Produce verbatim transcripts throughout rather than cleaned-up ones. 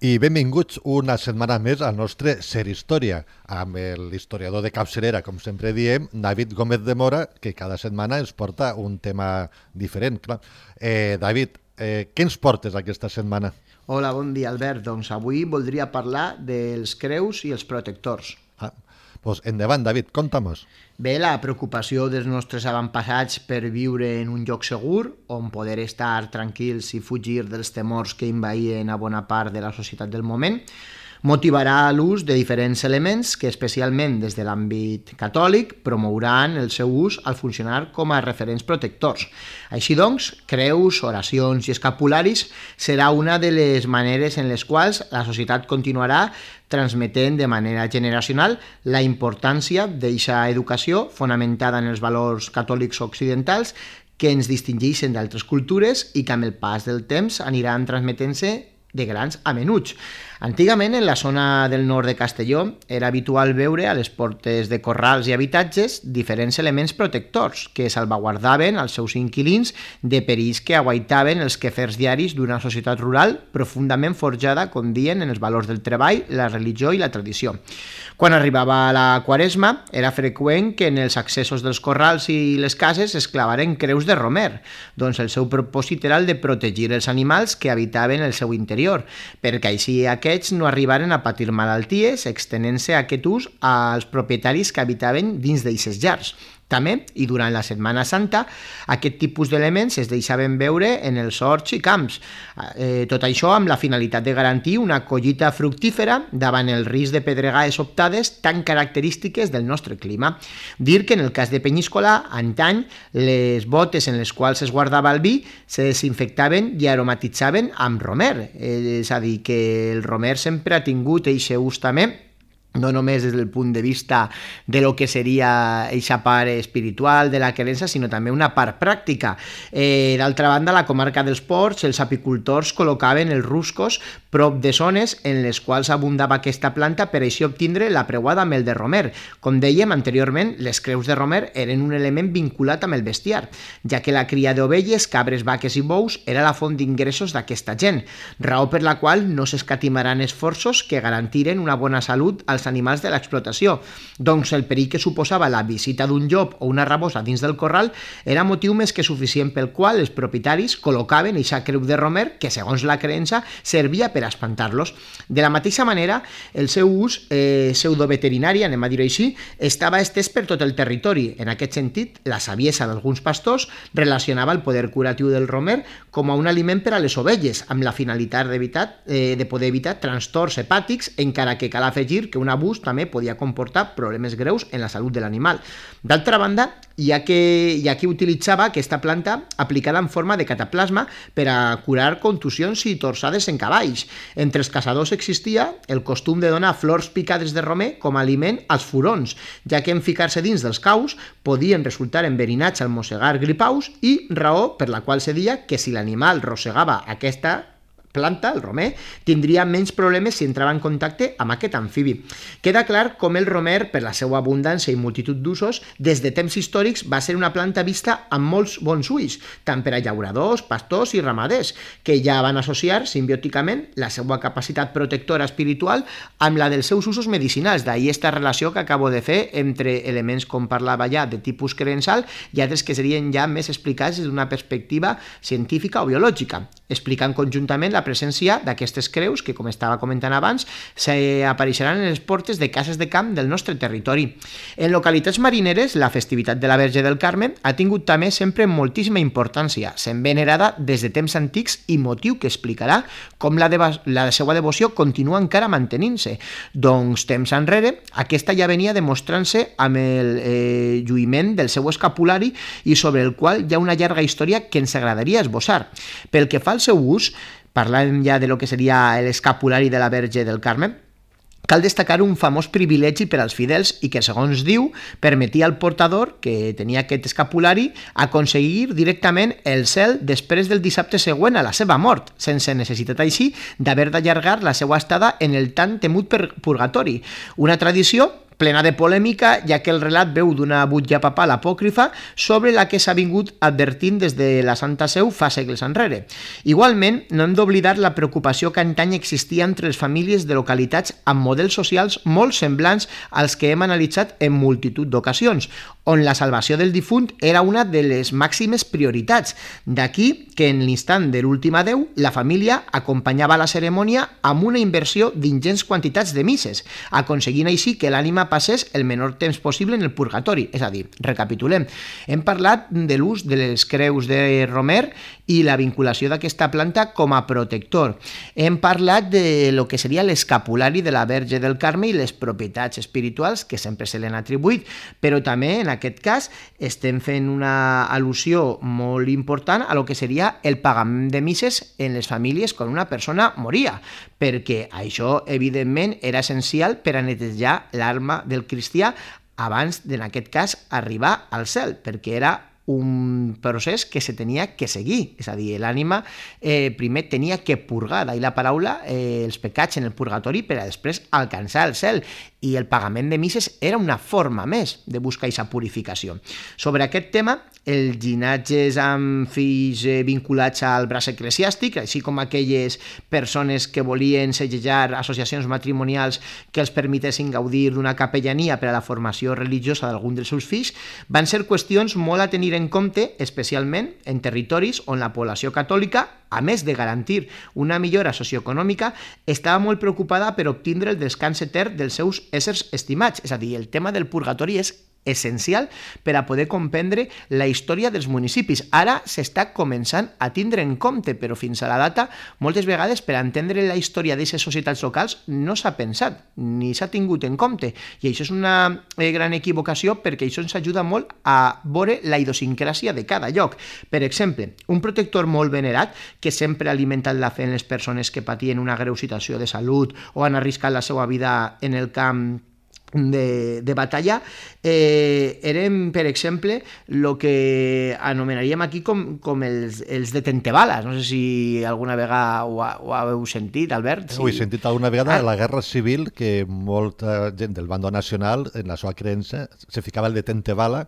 I benvinguts una setmana més al nostre Ser Història, amb l'historiador de capçalera, com sempre diem, David Gómez de Mora, que cada setmana ens porta un tema diferent. Clar. Eh, David, eh, què ens portes aquesta setmana? Hola, bon dia, Albert. Doncs avui voldria parlar dels creus i els protectors. Ah, doncs endavant, David, conta-mos. Bé, la preocupació dels nostres avantpassats per viure en un lloc segur, on poder estar tranquils i fugir dels temors que envaïen a bona part de la societat del moment, motivarà l'ús de diferents elements que, especialment des de l'àmbit catòlic, promouran el seu ús al funcionar com a referents protectors. Així doncs, creus, oracions i escapularis serà una de les maneres en les quals la societat continuarà transmetent de manera generacional la importància d'aquesta educació fonamentada en els valors catòlics occidentals que ens distingeixen d'altres cultures i que amb el pas del temps aniran transmetent-se de grans a menuts. Antigament, en la zona del nord de Castelló, era habitual veure a les portes de corrals i habitatges diferents elements protectors que salvaguardaven els seus inquilins de perills que aguaitaven els quefers diaris d'una societat rural profundament forjada, com dien, en els valors del treball, la religió i la tradició. Quan arribava la Quaresma, era freqüent que en els accessos dels corrals i les cases es clavaren creus de romer, doncs el seu propòsit era el de protegir els animals que habitaven el seu interior, perquè així aquests no arribaren a patir malalties, extenent-se aquest ús als propietaris que habitaven dins d'eixes llars. També, i durant la Setmana Santa, aquest tipus d'elements es deixaven veure en els horts i camps. Eh, tot això amb la finalitat de garantir una collita fructífera davant el risc de pedregades sobtades tan característiques del nostre clima. Dir que en el cas de Penyíscola, antany, les botes en les quals es guardava el vi se desinfectaven i aromatitzaven amb romer. Eh, és a dir, que el romer sempre ha tingut eixe ús també, no només des del punt de vista de lo que seria eixa part espiritual de la creença, sinó també una part pràctica. Eh, D'altra banda, a la comarca dels Ports, els apicultors col·locaven els ruscos prop de zones en les quals abundava aquesta planta per així obtindre la preuada amb el de romer. Com dèiem anteriorment, les creus de romer eren un element vinculat amb el bestiar, ja que la cria d'ovelles, cabres, vaques i bous era la font d'ingressos d'aquesta gent, raó per la qual no s'escatimaran esforços que garantiren una bona salut als animals de l'explotació. Doncs el perill que suposava la visita d'un llop o una rabosa dins del corral era motiu més que suficient pel qual els propietaris col·locaven eixa creu de romer que, segons la creença, servia per espantar-los. De la mateixa manera, el seu ús eh, pseudoveterinari, anem a dir-ho així, estava estès per tot el territori. En aquest sentit, la saviesa d'alguns pastors relacionava el poder curatiu del romer com a un aliment per a les ovelles, amb la finalitat d'evitar, eh, de poder evitar trastorns hepàtics, encara que cal afegir que un abús també podia comportar problemes greus en la salut de l'animal. D'altra banda, hi ha, que, hi ha qui utilitzava aquesta planta aplicada en forma de cataplasma per a curar contusions i torsades en cavalls. Entre els caçadors existia el costum de donar flors picades de romer com a aliment als furons, ja que en ficar-se dins dels caus podien resultar enverinats al mossegar gripaus i raó per la qual se deia que si l'animal rossegava aquesta planta, el romer, tindria menys problemes si entrava en contacte amb aquest amfibi. Queda clar com el romer, per la seva abundància i multitud d'usos, des de temps històrics va ser una planta vista amb molts bons ulls, tant per a llauradors, pastors i ramaders, que ja van associar simbiòticament la seva capacitat protectora espiritual amb la dels seus usos medicinals. D'ahir aquesta relació que acabo de fer entre elements, com parlava ja, de tipus creençal i altres que serien ja més explicats des d'una perspectiva científica o biològica, explicant conjuntament la presència d'aquestes creus que, com estava comentant abans, apareixeran en les portes de cases de camp del nostre territori. En localitats marineres, la festivitat de la Verge del Carme ha tingut també sempre moltíssima importància, sent venerada des de temps antics i motiu que explicarà com la, la seva devoció continua encara mantenint-se. Doncs, temps enrere, aquesta ja venia demostrant-se amb el eh, lluïment del seu escapulari i sobre el qual hi ha una llarga història que ens agradaria esbossar. Pel que fa al seu ús, parlant ja de lo que seria l'escapulari de la Verge del Carme, cal destacar un famós privilegi per als fidels i que, segons diu, permetia al portador, que tenia aquest escapulari, aconseguir directament el cel després del dissabte següent a la seva mort, sense necessitat així d'haver d'allargar la seva estada en el tan temut purgatori. Una tradició plena de polèmica, ja que el relat veu d'una butlla papal apòcrifa sobre la que s'ha vingut advertint des de la Santa Seu fa segles enrere. Igualment, no hem d'oblidar la preocupació que antany existia entre les famílies de localitats amb models socials molt semblants als que hem analitzat en multitud d'ocasions, on la salvació del difunt era una de les màximes prioritats. D'aquí que en l'instant de l'últim adeu, la família acompanyava la cerimònia amb una inversió d'ingents quantitats de misses, aconseguint així que l'ànima passés el menor temps possible en el purgatori. És a dir, recapitulem, hem parlat de l'ús de les creus de Romer i la vinculació d'aquesta planta com a protector. Hem parlat de lo que seria l'escapulari de la Verge del Carme i les propietats espirituals que sempre se l'han atribuït, però també en aquest cas estem fent una al·lusió molt important a lo que seria el pagament de misses en les famílies quan una persona moria, perquè això evidentment era essencial per a netejar l'alma del cristià abans d'en aquest cas arribar al cel, perquè era un procés que se tenia que seguir, és a dir, l'ànima eh, primer tenia que purgar, d'ahir la paraula, eh, els pecats en el purgatori per a després alcançar el cel, i el pagament de misses era una forma més de buscar aquesta purificació. Sobre aquest tema, els llinatges amb fills eh, vinculats al braç eclesiàstic, així com aquelles persones que volien segellar associacions matrimonials que els permetessin gaudir d'una capellania per a la formació religiosa d'algun dels seus fills, van ser qüestions molt a tenir en compte, especialment en territoris on la població catòlica, a més de garantir una millora socioeconòmica, estava molt preocupada per obtindre el descans etern dels seus éssers estimats. És a dir, el tema del purgatori és essencial per a poder comprendre la història dels municipis. Ara s'està començant a tindre en compte, però fins a la data, moltes vegades per a entendre la història d'aquestes societats locals no s'ha pensat, ni s'ha tingut en compte. I això és una gran equivocació perquè això ens ajuda molt a veure la idiosincràsia de cada lloc. Per exemple, un protector molt venerat que sempre ha alimentat la fe en les persones que patien una greu situació de salut o han arriscat la seva vida en el camp De, de batalla, eh, eren, per exemple, el que anomenaríem aquí com, com els, els detentebales. No sé si alguna vegada ho, ha, ho heu sentit, Albert. Si... Ho he sentit alguna vegada a la Guerra Civil, que molta gent del bando nacional, en la seva creença, se ficava el detentebala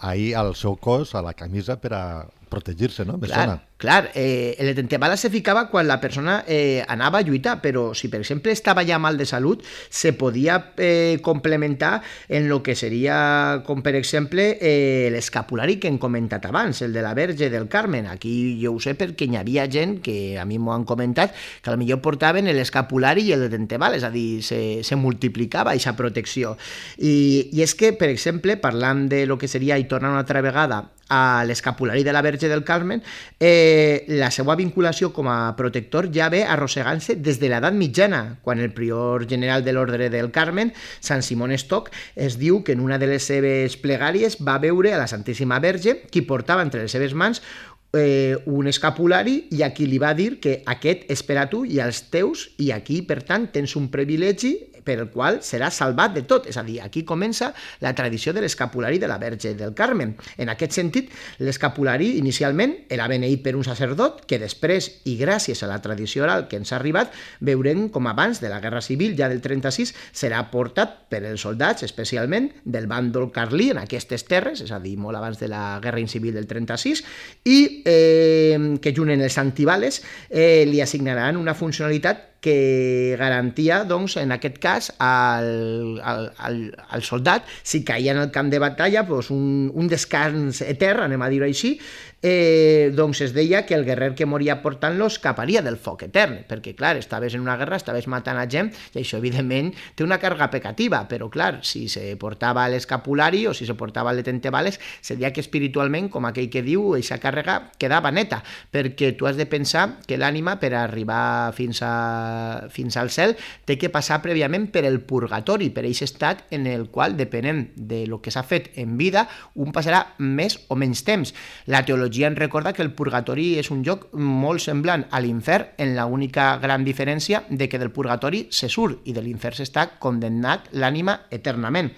ahir al seu cos, a la camisa, per a protegir-se, no? Me clar, sona. Clar, eh, el detentebala se ficava quan la persona eh, anava a lluitar, però si per exemple estava ja mal de salut, se podia eh, complementar en lo que seria, com per exemple, eh, l'escapulari que hem comentat abans, el de la Verge del Carmen. Aquí jo ho sé perquè hi havia gent que a mi m'ho han comentat que potser portaven l'escapulari i el detentebala, és a dir, se, se multiplicava aquesta protecció. I, I és que, per exemple, parlant de lo que seria, i tornant una altra vegada a l'escapulari de la Verge del Carmen, eh, la seva vinculació com a protector ja ve arrossegant-se des de l'edat mitjana, quan el prior general de l'Ordre del Carmen, Sant Simon Stock, es diu que en una de les seves plegàries va veure a la Santíssima Verge qui portava entre les seves mans eh, un escapulari i a qui li va dir que aquest és per a tu i als teus i aquí, per tant, tens un privilegi per el qual serà salvat de tot. És a dir, aquí comença la tradició de l'escapulari de la Verge del Carmen. En aquest sentit, l'escapulari inicialment era beneït per un sacerdot que després, i gràcies a la tradició oral que ens ha arribat, veurem com abans de la Guerra Civil, ja del trenta-sis, serà portat per els soldats, especialment del bàndol carlí en aquestes terres, és a dir, molt abans de la Guerra Civil del trenta-sis, i eh, que junt en els antibales eh, li assignaran una funcionalitat que garantia, doncs, en aquest cas, al, al, al, al soldat, si caia en el camp de batalla, doncs, un, un descans etern, anem a dir-ho així, eh, doncs es deia que el guerrer que moria portant-lo escaparia del foc etern, perquè, clar, estaves en una guerra, estaves matant a gent, i això, evidentment, té una càrrega pecativa, però, clar, si se portava l'escapulari o si se portava el detentebales, seria que espiritualment, com aquell que diu, aquesta càrrega quedava neta, perquè tu has de pensar que l'ànima, per arribar fins a fins al cel, té que passar prèviament per el purgatori, per aquest estat en el qual, depenent de lo que s'ha fet en vida, un passarà més o menys temps. La teologia teologia ens recorda que el purgatori és un lloc molt semblant a l'infern, en l'única gran diferència de que del purgatori se surt i de l'infern s'està condemnat l'ànima eternament.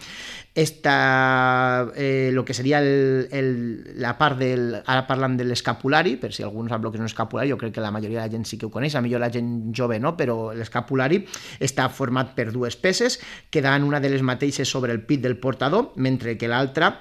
Esta, eh, lo que seria el, el, la part del... Ara parlant de l'escapulari, per si algú no sap el que és un escapulari, jo crec que la majoria de la gent sí que ho coneix, a millor la gent jove no, però l'escapulari està format per dues peces, quedant una de les mateixes sobre el pit del portador, mentre que l'altra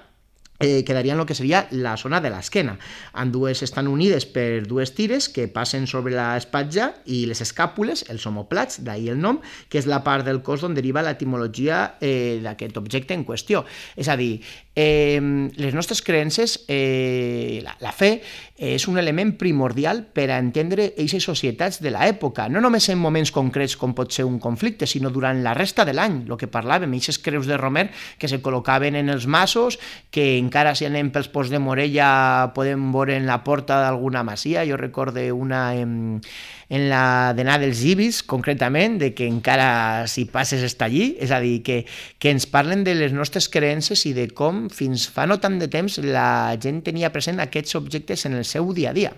Eh, quedaria en el que seria la zona de l'esquena. Ambdues estan unides per dues tires que passen sobre l'espatlla i les escàpules, els omoplats, d'ahir el nom, que és la part del cos d'on deriva l'etimologia eh, d'aquest objecte en qüestió. És a dir, eh, les nostres creences, eh, la, la fe, és un element primordial per a entendre aquestes societats de l'època, no només en moments concrets com pot ser un conflicte, sinó durant la resta de l'any, el que parlàvem, aquestes creus de Romer que se col·locaven en els masos, que encara si anem pels Ports de Morella podem veure en la porta d'alguna masia. Jo recorde una en, en la d'Anà dels Ibis, concretament, de que encara si passes està allí, és a dir, que, que ens parlen de les nostres creences i de com fins fa no tant de temps la gent tenia present aquests objectes en el seu dia a dia.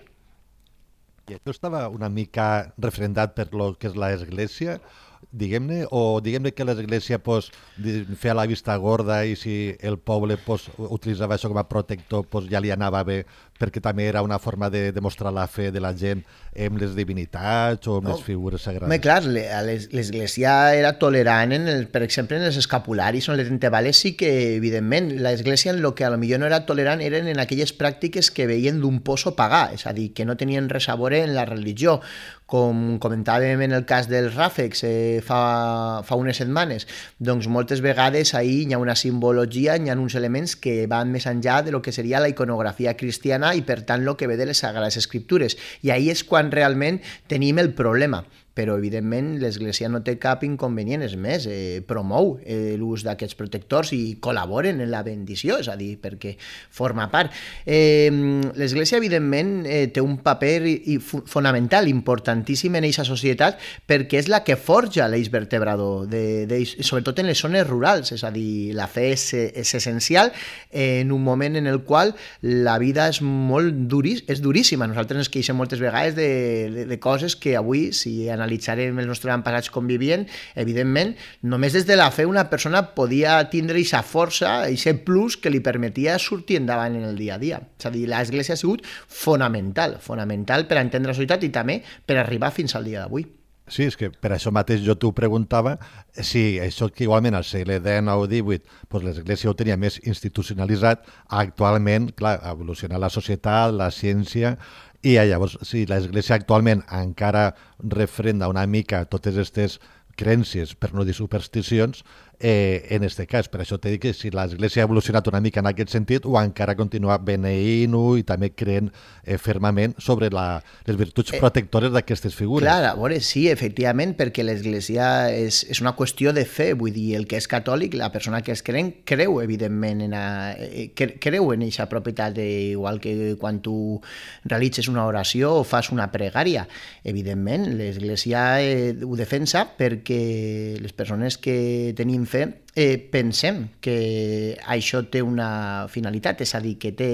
I això estava una mica referendat per lo que és l'Església, diguem-ne, o diguem-ne que l'Església pues, feia la vista gorda i si el poble pues, utilitzava això com a protector pues, ja li anava bé, perquè també era una forma de demostrar la fe de la gent amb les divinitats o amb no, les figures sagrades. Home, clar, l'Església era tolerant, en el, per exemple, en els escapularis o en les entebales sí que, evidentment, l'Església en el que potser no era tolerant eren en aquelles pràctiques que veien d'un poso pagà, és a dir, que no tenien res a veure en la religió, com comentàvem en el cas dels ràfecs eh, fa, fa unes setmanes, doncs moltes vegades ahí hi ha una simbologia, hi ha uns elements que van més enllà de lo que seria la iconografia cristiana i per tant el que ve de les Sagrades Escriptures. I ahí és quan realment tenim el problema. Però, evidentment, l'Església no té cap inconvenient, és més, eh, promou eh, l'ús d'aquests protectors i col·laboren en la bendició, és a dir, perquè forma part. Eh, L'Església, evidentment, eh, té un paper i, fonamental, importantíssim en aquesta societat, perquè és la que forja l'eix vertebrador, de, de, sobretot en les zones rurals, és a dir, la fe és, és essencial en un moment en el qual la vida és molt duris, és duríssima. Nosaltres ens queixem moltes vegades de, de, de coses que avui, si analitzem analitzarem els nostres avantpassats com vivien, evidentment, només des de la fe una persona podia tindre aquesta força, aquest plus que li permetia sortir endavant en el dia a dia. És a dir, l'Església ha sigut fonamental, fonamental per a entendre la societat i també per arribar fins al dia d'avui. Sí, és que per això mateix jo t'ho preguntava si això que igualment al segle dinou o divuit pues l'Església ho tenia més institucionalitzat, actualment, clar, ha evolucionat la societat, la ciència, i llavors si l'Església actualment encara refrenda una mica totes aquestes creences, per no dir supersticions, eh, en aquest cas. Per això t'he dit que si l'Església ha evolucionat una mica en aquest sentit o encara continua beneint-ho i també creen eh, fermament sobre la, les virtuts protectores d'aquestes figures. Clar, a veure, sí, efectivament, perquè l'Església és, és una qüestió de fe, vull dir, el que és catòlic, la persona que és crent, creu, evidentment, en a, creu en aquesta propietat, igual que quan tu realitzes una oració o fas una pregària. Evidentment, l'Església eh, ho defensa perquè les persones que tenim fe eh, pensem que això té una finalitat, és a dir, que, té,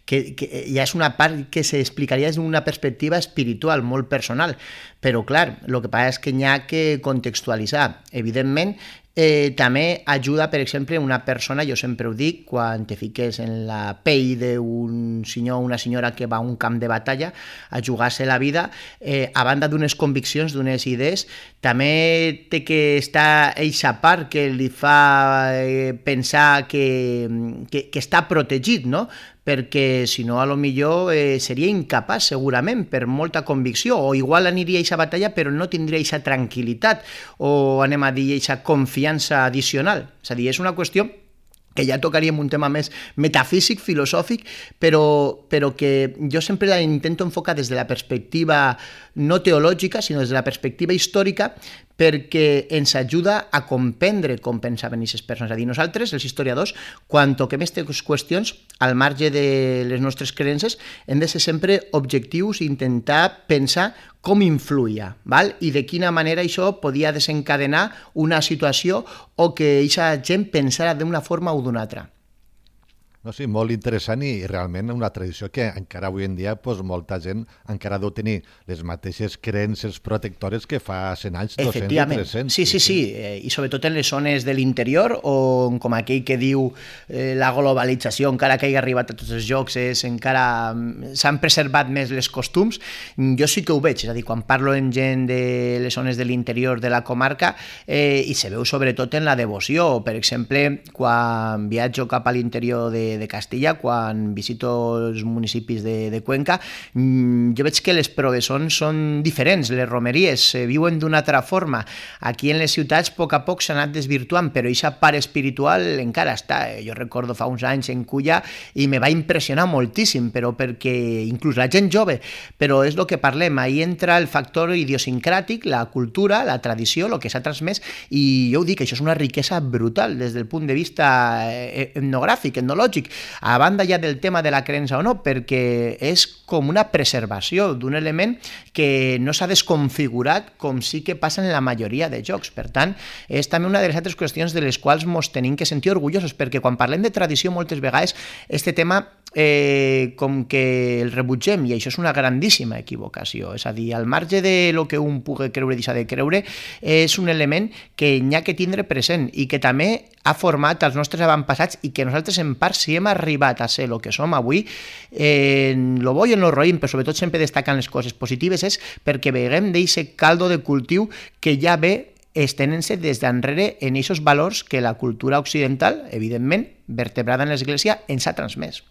que, que ja és una part que s'explicaria des d'una perspectiva espiritual, molt personal, però clar, el que passa és que n'hi ha que contextualitzar. Evidentment, Eh, també ajuda, per exemple, una persona, jo sempre ho dic, quan te fiques en la pell d'un senyor o una senyora que va a un camp de batalla a jugar-se la vida, eh, a banda d'unes conviccions, d'unes idees, també té que estar eixa part que li fa eh, pensar que, que, que està protegit, no?, perquè si no, a lo millor eh, seria incapaç segurament per molta convicció, o igual aniria a aquesta batalla però no tindria aquesta tranquil·litat o anem a dir aquesta confiança addicional. És a dir, és una qüestió que ja tocaríem un tema més metafísic, filosòfic, però, però que jo sempre la intento enfocar des de la perspectiva no teològica, sinó des de la perspectiva històrica, perquè ens ajuda a comprendre com pensaven aquestes persones. És a dir, nosaltres, els historiadors, quan toquem aquestes qüestions, al marge de les nostres creences, hem de ser sempre objectius i intentar pensar com influïa, val? I de quina manera això podia desencadenar una situació o que aquesta gent pensara d'una forma o d'una altra. No, sí, molt interessant i realment una tradició que encara avui en dia pues, molta gent encara deu tenir les mateixes creences protectores que fa cent anys, dos-cents i tres-cents. Sí, sí, sí, eh, i sobretot en les zones de l'interior on, com aquell que diu eh, la globalització, encara que hagi arribat a tots els jocs, és, encara s'han preservat més les costums. Jo sí que ho veig, és a dir, quan parlo amb gent de les zones de l'interior de la comarca eh, i se veu sobretot en la devoció. Per exemple, quan viatjo cap a l'interior de de Castilla, quan visito els municipis de, de Cuenca, jo veig que les progressons són diferents, les romeries eh, viuen d'una altra forma. Aquí en les ciutats a poc a poc s'ha anat desvirtuant, però aquesta part espiritual encara està. Jo recordo fa uns anys en Culla i me va impressionar moltíssim, però perquè inclús la gent jove, però és el que parlem, ahí entra el factor idiosincràtic, la cultura, la tradició, el que s'ha transmès, i jo ho dic, això és una riquesa brutal des del punt de vista etnogràfic, etnològic, a banda ja del tema de la creença o no, perquè és com una preservació d'un element que no s'ha desconfigurat com sí que passa en la majoria de jocs. Per tant, és també una de les altres qüestions de les quals ens tenim que sentir orgullosos, perquè quan parlem de tradició moltes vegades este tema eh, com que el rebutgem, i això és una grandíssima equivocació. És a dir, al marge de lo que un pugui creure i deixar de creure, és un element que n'hi ha que tindre present i que també ha format els nostres avantpassats i que nosaltres en part si hem arribat a ser el que som avui, eh, en lo bo i en lo roïm, però sobretot sempre destacant les coses positives, és perquè veiem d'aquest caldo de cultiu que ja ve estenent-se des d'enrere en aquests valors que la cultura occidental, evidentment, vertebrada en l'Església, ens ha transmès.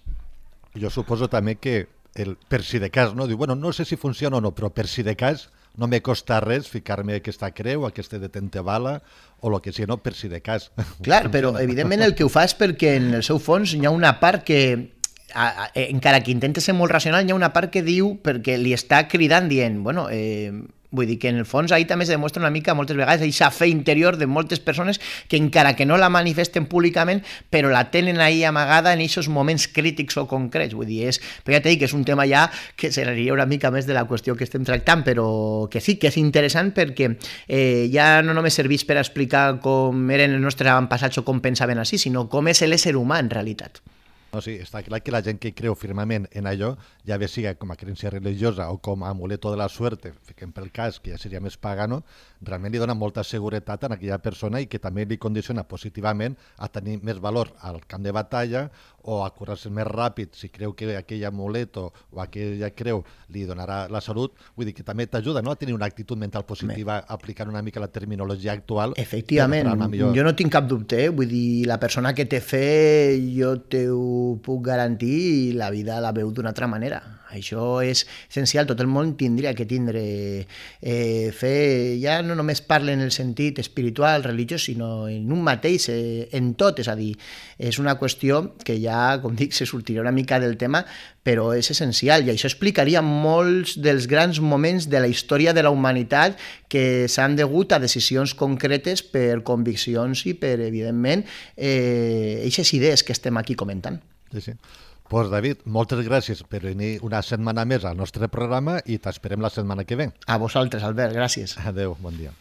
Jo suposo també que el per si de cas, no? Diu, bueno, no sé si funciona o no, però per si de cas no me costa res ficar-me aquesta creu, aquesta detente bala o el que sigui, no? Per si de cas. Clar, però evidentment el que ho fa és perquè en el seu fons hi ha una part que, a, a, encara que intenta ser molt racional, hi ha una part que diu, perquè li està cridant dient, bueno, eh, vull dir que en el fons ahí també es demostra una mica moltes vegades aquesta fe interior de moltes persones que encara que no la manifesten públicament però la tenen ahí amagada en aquests moments crítics o concrets. Vull dir, és, però ja t'he dit que és un tema ja que seria una mica més de la qüestió que estem tractant, però que sí que és interessant perquè eh, ja no només serveix per explicar com eren els nostres avantpassats o com pensaven així, sinó com és l'ésser humà en realitat. No, sí, està clar que la gent que creu firmament en allò, ja bé siga com a creencia religiosa o com a amuleto de la suerte, fiquem pel cas, que ja seria més pagano, realment li dona molta seguretat a aquella persona i que també li condiciona positivament a tenir més valor al camp de batalla o a curar-se més ràpid si creu que aquell amuleto o aquella creu li donarà la salut. Vull dir que també t'ajuda, no?, a tenir una actitud mental positiva aplicant una mica la terminologia actual. Efectivament, millor... jo no tinc cap dubte, eh? Vull dir, la persona que té fe, jo t'ho puc garantir, i la vida la veu d'una altra manera. Això és essencial, tot el món tindria que tindre eh, fe, ja no només parla en el sentit espiritual, religiós, sinó en un mateix, eh, en tot, és a dir, és una qüestió que ja, com dic, se sortirà una mica del tema, però és essencial, i això explicaria molts dels grans moments de la història de la humanitat que s'han degut a decisions concretes per conviccions i per, evidentment, eh, aquestes idees que estem aquí comentant. Sí, sí. Pues David, moltes gràcies per venir una setmana més al nostre programa i t'esperem la setmana que ve. A vosaltres, Albert, gràcies. Adéu, bon dia.